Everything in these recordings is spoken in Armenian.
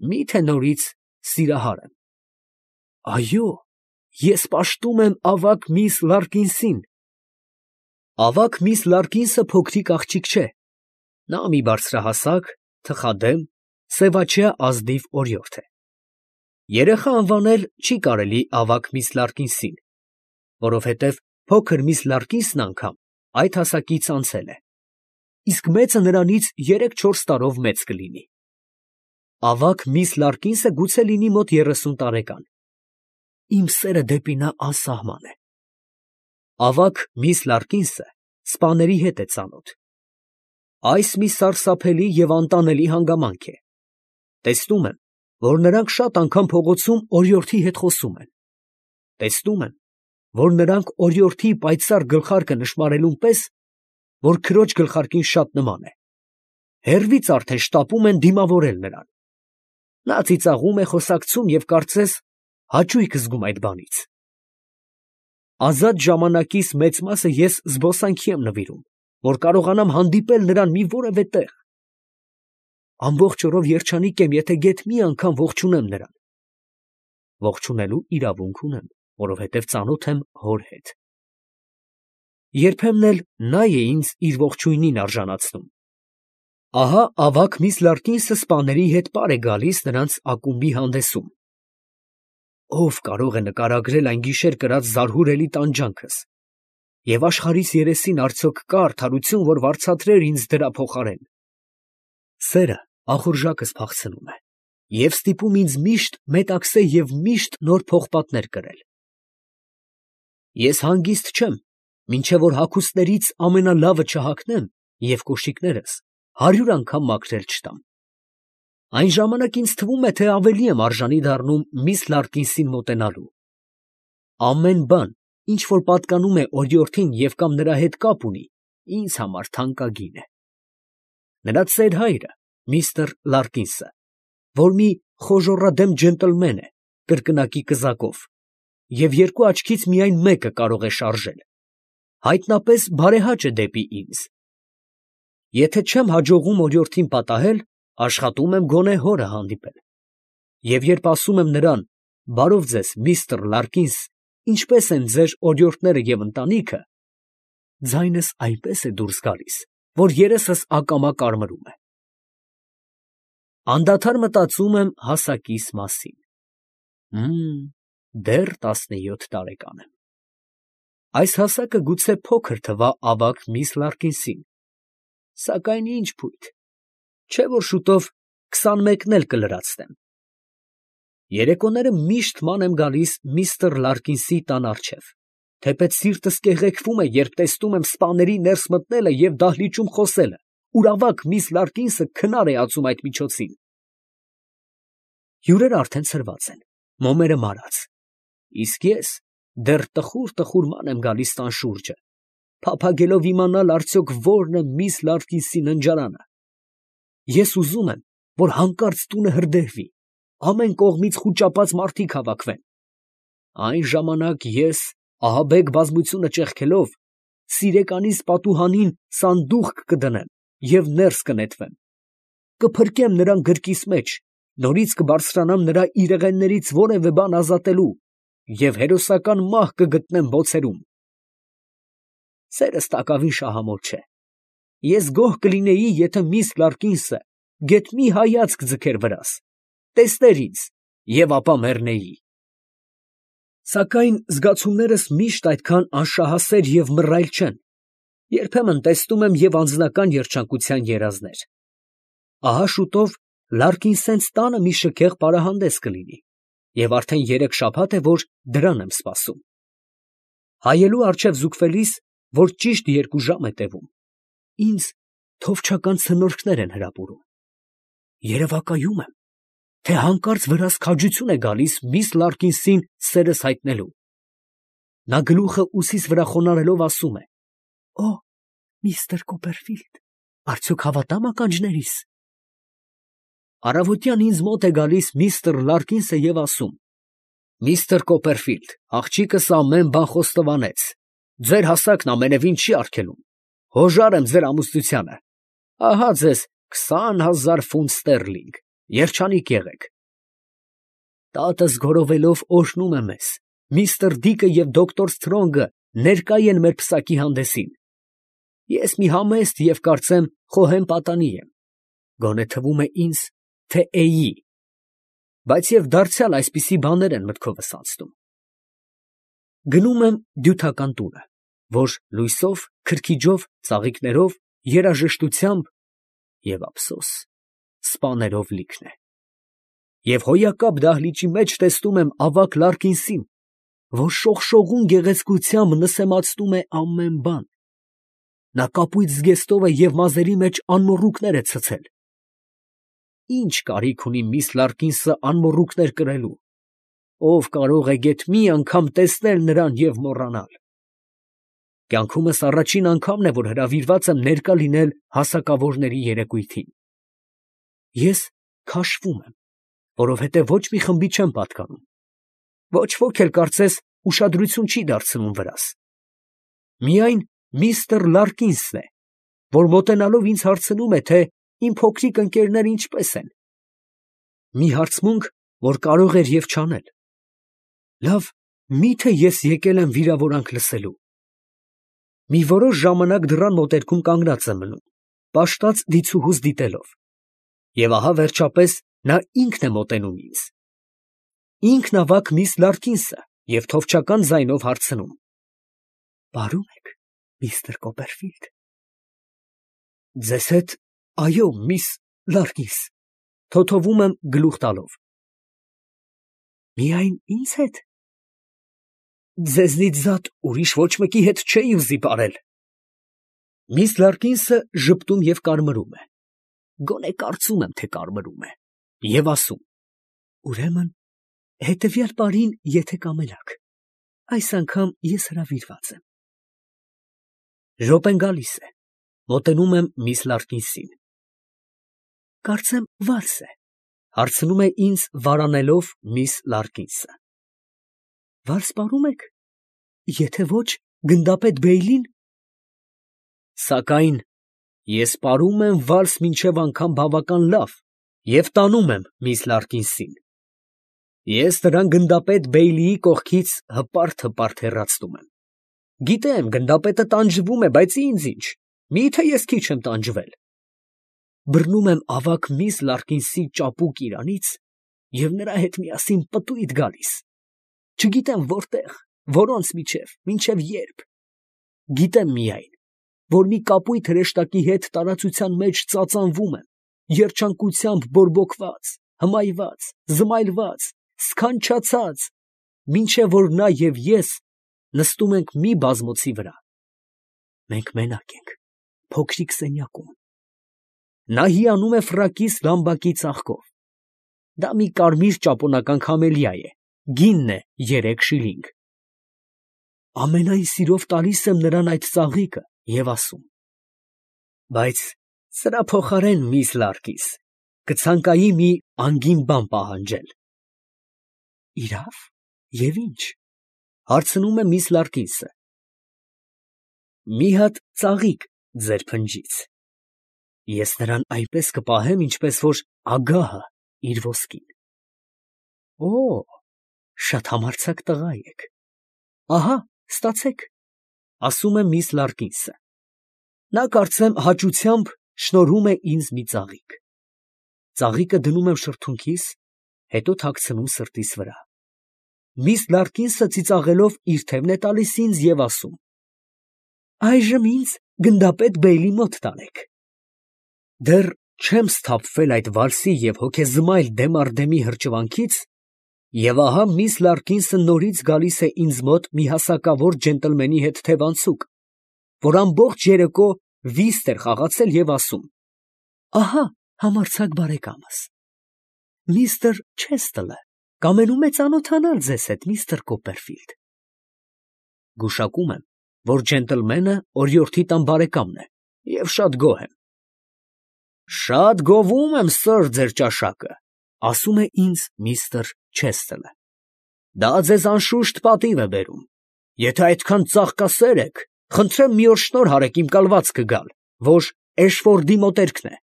Մի՞թե նորից սիրահար եմ։ Այո, ես պաշտում եմ ավագ միս Լարկինսին։ Ավագ միս Լարկինսը փոքրիկ աղջիկ չէ. նա մի բարձրահասակ, թխադեմ, սևաչյա ազնիվ օրիորդ է։ Երեխա անվանել չի կարելի ավագ միս Լարկինսին, որովհետև փոքր միս Լարկինսն անգամ այդ հասակից անցել է, իսկ մեծը նրանից 3-4 տարով մեծ կլինի։ Ավագ միս Լարկինսը գուցե լինի մոտ 30 տարեկան։ Իմ սերը դեպի նա անսահման է։ Ավագ միս Լարկինսը սպաների հետ է ծանոթ։ Այս մի սարսափելի և անտանելի հանգամանք է։ Տեսնում եմ, որ նրանք շատ անգամ փողոցում օրիորդի հետ խոսում են։ Տեսնում եմ, որ նրանք օրիորդի պայծառ գլխարկը նշմարելուն պես, որ քրոջ գլխարկին շատ նման է, հեռվից արդեն շտապում են դիմավորել նրան։ Նա ծիծաղում է, խոսակցում և կարծես հաճույք զգում այդ բանից։ Ազատ ժամանակիս մեծ մասը ես զբոսանքի եմ նվիրում, որ կարողանամ հանդիպել նրան մի որևէ տեղ։ Ամբողջ օրով երջանիկ եմ, եթե գեթ մի անգամ ողջունեմ նրան։ Ողջունելու իրավունք ունեմ, որովհետև ծանոթ եմ հոր հետ։ Երբեմն էլ նա է ինձ իր ողջույնին արժանացնում։ Ահա ավագ միս Լարկինսը սպաների հետ պար է գալիս նրանց ակումբի հանդեսում։ Ո՞վ կարող է նկարագրել այն գիշեր կրած զարհուրելի տանջանքս, և աշխարհիս երեսին արդյոք կա արդարություն, որ վարձատրեր ինձ դրա փոխարեն։ Սերը ախորժակս փախցնում է և ստիպում ինձ միշտ մետաքսե և միշտ նոր պողպատներ կրել։ Ես հանգիստ չեմ, մինչև որ հագուստներից ամենալավը չհագնեմ և կոշիկներս 100 անգամ մաքրել չտամ։ Այն ժամանակ ինձ թվում է, թե ավելի եմ արժանի դառնում միս Լարկինսին մոտենալու։ Ամեն բան, ինչ որ պատկանում է օրիորդին և կամ նրա հետ կապ ունի, ինձ համար թանկագին է։ Նրա ծեր հայրը, միստր Լարկինսը, որ մի խոժոռադեմ ջենտլմեն է, կրկնակի կզակով, և երկու աչքից միայն մեկը կարող է շարժել, հայտնապես բարեհաճ է դեպի ինձ։ Եթե չեմ հաջողում օրիորդին պատահել, աշխատում եմ գոնե հորը հանդիպել։ Եվ երբ ասում եմ նրան. «Բարով ձեզ, միստր Լարկինս, ինչպե՞ս են ձեր օրիորդները և ընտանիքը», ձայնս այնպես է դուրս գալիս, որ երեսս ակամա կարմրում է։ Անդադար մտածում եմ հասակիս մասին։ Դեռ 17 տարեկան եմ։ Այս հասակը գուցե փոքր թվա ավագ միս Լարկինսին, սակայն ինչ փույթ, չէ՞ որ շուտով 21-ն էլ կլրացնեմ։ Երեկոները միշտ ման եմ գալիս միստր Լարկինսի տան առջև, թեպետ սիրտս կեղեքվում է, երբ տեսնում եմ սպաների ներս մտնելը և դահլիճում խոսելը, ուր ավագ միս Լարկինսը քնար է ածում այդ միջոցին։ Հյուրերն արդեն ցրված են, մոմերը մարած, իսկ ես դեռ տխուր ման եմ գալիս տան շուրջը, փափագելով իմանալ արդյոք ո՞րն է միս Լարկինսի ննջարանը։ Ես ուզում եմ, որ հանկարծ տունը հրդեհվի, ամեն կողմից խուճապած մարդիկ հավաքվեն։ Այն ժամանակ ես, ահաբեկ բազմությունը ճեղքելով, սիրեկանիս պատուհանին սանդուղք կդնեմ և ներս կնետվեմ, կփրկեմ նրան գրկիս մեջ, նորից կբարձրանամ նրա իրեղեններից որևէ բան ազատելու և հերոսական մահ կգտնեմ բոցերում։ Սերս տակավին շահամոլ չէ։ Ես գոհ կլինեի, եթե միս Լարկինսը գեթ մի հայացք ձգեր վրաս, տեսներ ինձ և ապա մեռնեի։ Սակայն զգացումներս միշտ այդքան անշահասեր և մռայլ չեն, երբեմն տեսնում եմ և անձնական երջանկության երազներ։ Ահա շուտով Լարկինսենց տանը մի շքեղ պարահանդես կլինի, և արդեն 3 շաբաթ է, որ դրան եմ սպասում։ Հայելու առջև զուգվելիս, որ ճիշտ 2 ժամ է տևում, ինձ թովչական ցնորքներ են հրապուրում։ Երևակայում եմ, թե հանկարծ վրաս քաջություն է գալիս միս Լարկինսին սերս հայտնելու։ Նա գլուխը ուսիս վրա խոնարհելով ասում է. «Օ, միստր Կոպերֆիլդ, արդյոք հավատա՞մ ականջներիս»։ Առավոտյան ինձ մոտ է գալիս միստր Լարկինսը և ասում. «Միստր Կոպերֆիլդ, աղջիկս ամեն բան խոստովանեց, ձեր հասակն ամենևին չի արգելում, հոժար եմ ձեր ամուսնությանը, ահա ձեզ 20,000 ֆունտ ստերլինգ, երջանիկ եղեք»։ Տատս գորովելով օրհնում է մեզ, միստր Դիկը և դոկտոր Սթրոնգը ներկա են մեր պսակի հանդեսին։ Ես մի համեստ և կարծեմ խոհեմ պատանի եմ, գոնե թվում է ինձ, թե էի, բայց և դարձյալ այսպիսի բաներ են մտքովս անցնում։ Գնում եմ դյութական տունը, որ լույսով, քրքիջով, ծաղիկներով, երաժշտությամբ և ափսոս սպաներով լիքն է։ Եվ հոյակապ դահլիճի մեջ տեսնում եմ ավագ Լարկինսին, որ շողշողուն գեղեցկությամբ նսեմացնում է ամեն բան։ Նա կապույտ զգեստով է և մազերի մեջ անմոռուկներ է ցցել։ Ի՞նչ կարիք ունի միս Լարկինսը անմոռուկներ կրելու, ով կարող է գեթ մի անգամ տեսնել նրան և մոռանալ։ Կյանքումս առաջին անգամն է, որ հրավիրված եմ ներկա լինել հասակավորների երեկույթին։ Ես քաշվում եմ, որովհետև ոչ մի խմբի չեմ պատկանում։ Ոչ ոք էլ կարծես ուշադրություն չի դարձնում վրաս։ Միայն միստր Լարկինսն է, որ մոտենալով ինձ հարցնում է, թե իմ փոքրիկ ընկերները ինչպես են։ Մի հարցմունք, որ կարող էր և չանել։ Լավ, մի՞թե ես եկել եմ վիրավորանք լսելու։ Մի որոշ ժամանակ դռան մոտերքում կանգնած եմ մնում, պաշտած դիցուհուս դիտելով։ Եվ ահա վերջապես նա ինքն է մոտենում ինձ։ Ինքն ավագ միս Լարկինսը և թովչական ձայնով հարցնում. «Պարում եք, միստր Կոպերֆիլդ»։ Ձեզ հետ, այո, միս Լարկինս, թոթովում եմ գլուխ տալով։ Միայն ինձ հետ։ Ձեզնից զատ ուրիշ ոչ մեկի հետ չէի ուզի պարել։ Միս Լարկինսը ժպտում և կարմրում է, գոնե կարծում եմ, թե կարմրում է, և ասում. ուրեմն հետևյալ պարին, եթե կամենաք, այս անգամ ես հրավիրված եմ։ Րոպեն գալիս է, մոտենում եմ միս Լարկինսին։ Կարծեմ վալս է, հարցնում է ինձ վարանելով միս Լարկինսը։ Վալս պարում եք, եթե ոչ, գնդապետ Բեյլին։ Սակայն ես պարում եմ վալս մինչև անգամ բավական լավ և տանում եմ միս Լարկինսին։ Ես նրան գնդապետ Բեյլիի կողքից հպարտ հեռացնում եմ։ Գիտեմ, գնդապետը տանջվում է, բայց ինձ ինչ, մի՞թե ես քիչ եմ տանջվել։ Բռնում եմ ավագ միս Լարկինսի ճապուկ իրանից և նրա հետ միասին պտույտ գալիս։ Չգիտեմ որտեղ, որոնց միջև, մինչև երբ։ Գիտեմ միայն, որ մի կապույտ հրեշտակի հետ տարածության մեջ ծածանվում եմ, երջանկությամբ բորբոքված, հմայված, զմայլված, սքանչացած, մինչև որ նա և ես նստում ենք մի բազմոցի վրա։ Մենք մենակ ենք, փոքրիկ սենյակում։ Նա հիանում է ֆրակիս լամբակի ծաղկով։ Դա մի կարմիր ճապոնական քամելիա է, գինն է 3 շիլինգ։ Ամենայն սիրով տալիս եմ նրան այդ ծաղիկը և ասում. բայց սրա փոխարեն, միս Լարկինս, կցանկայի մի անգին բան պահանջել։ Իրավ, և ինչ, հարցնում է միս Լարկինսը։ Մի հատ ծաղիկ ձեր փնջից։ Ես նրան այնպես կպահեմ, ինչպես որ ագահը իր ոսկին։ Օ, շատ համարձակ տղա եք։ Ահա, ստացեք, ասում է միս Լարկինսը։ Նա կարծեմ հաճությամբ շնորհում է ինձ մի ծաղիկ։ Ծաղիկը դնում եմ շրթունքիս, հետո թաքցնում սրտիս վրա։ Միս Լարկինսը ծիծաղելով իր թևն է տալիս ինձ և ասում. այժմ ինձ գնդապետ Բեյլի մոտ տանեք։ Դեռ չեմ սթափվել այդ վալսի և հոգեզմայլ դեմ առ դեմի հրճվանքից, և ահա միս Լարկինսը նորից գալիս է ինձ մոտ մի հասակավոր ջենտլմենի հետ թևանցուկ, որ ամբողջ երեկո վիստ էր խաղացել և ասում. ահա համարձակ բարեկամս, միստր Չեստլը կամենում է ծանոթանալ ձեզ հետ, միստր Կոպերֆիլդ։ Գուշակում եմ, որ ջենտլմենը օրիորդի տան բարեկամն է և շատ գոհ եմ։ Շատ գովում եմ, սըր, ձեր ճաշակը, ասում է ինձ միստր Չեստլը։ Դա ձեզ անշուշտ պատիվ է բերում։ Եթե այդքան ծաղկասեր եք, խնդրեմ մի օր շնորհ արեք իմ կալվածքը գալ, որ Էշֆորդի մոտերքն է։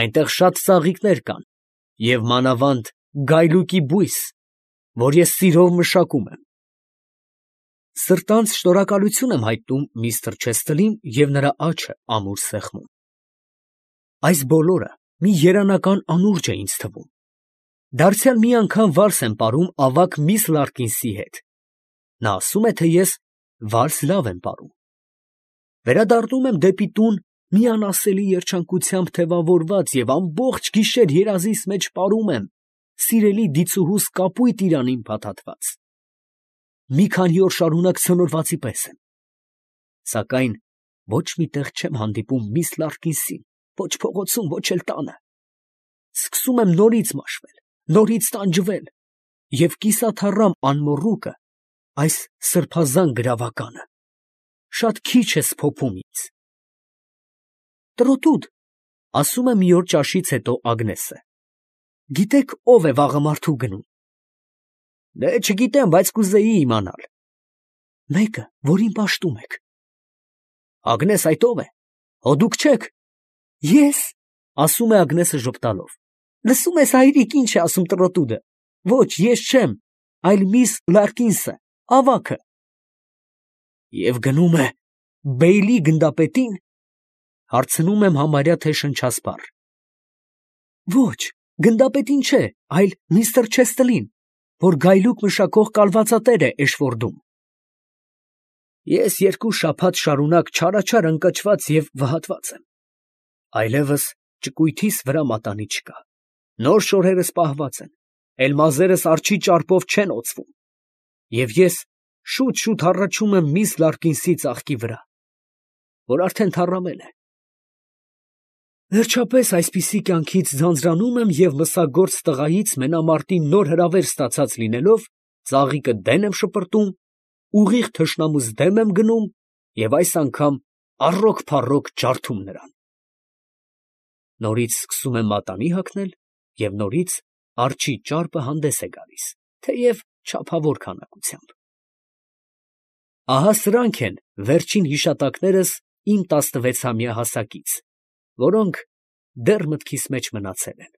Այնտեղ շատ ծաղիկներ կան, և մանավանդ գայլուկի բույս, որ ես սիրով մշակում եմ։ Սրտանց շնորհակալություն եմ հայտնում միստր Չեսթլին և նրա աչքը ամուր սեղմում։ Այս բոլորը մի երանական անուրջ է ինձ թվում։ Դարձյալ մի անգամ վալս եմ պարում ավագ միս Լարկինսի հետ։ Նա ասում է, թե ես վալս լավ եմ պարում։ Վերադառնում եմ դեպի տուն մի անասելի երջանկությամբ թևավորված և ամբողջ գիշեր երազիս մեջ պարում եմ սիրելի դիցուհուս կապույտ իրանին փաթաթված։ Մի քանի օր շարունակ ցնորվածի պես եմ։ Սակայն ոչ մի տեղ չեմ հանդիպում միս Լարկինսին, ոչ փողոցում, ոչ էլ տանը։ Սկսում եմ նորից մաշվել, նորից տանջվել և կիսաթառամ անմոռուկը, այս սրբազան գրավականը, շատ քիչ է սփոփում ինձ։ Տրոտուդ, ասում է մի օր ճաշից հետո Ագնեսը, գիտեք ով է վաղը մարդու գնում։ Դե չգիտեմ, բայց կուզեի իմանալ։ Մեկը, որին պաշտում եք։ Ագնես, այդ ով է։ Հո դուք չեք։ Ես, ասում է Ագնեսը ժպտալով։ Լսում ես, հայրիկ, ինչ է ասում տրոտուդը։ Ոչ, ես չեմ, այլ միս Լարկինսը, ավագը։ Եվ գնում է Բեյլի գնդապետին, հարցնում եմ համարյա թե շնչասպառ։ Ոչ, գնդապետին չէ, այլ միստր Չեսթլին, որ գայլուկ մշակող կալվածատեր է Էշֆորդում։ Ես 2 շաբաթ շարունակ չարաչար ընկճված և վհատված եմ։ Այլևս ճկույթիս վրա մատանի չկա։ Նոր շորերս պահված են, էլ մազերս արջի ճարպով չեն օծվում։ Եվ ես շուտ-շուտ հառաչում եմ միս Լարկինսի ծաղկի վրա, որ արդեն թառամել է։ Վերջապես այսպիսի կյանքից ձանձրանում եմ և մսագործ տղայից մենամարտի նոր հրավեր ստացած լինելով, ծաղիկը դեն եմ շպրտում, ուղիղ թշնամուս դեմ եմ գնում և այս անգամ առոք֊փառոք ջարդում նրան։ Նորից սկսում եմ մատանի հագնել և նորից արջի ճարպը հանդես է գալիս, թեև չափավոր քանակությամբ։ Ահա սրանք են վերջին հիշատակներս իմ 16-ամյա հասակից, որոնք դեռ մտքիս մեջ մնացել են։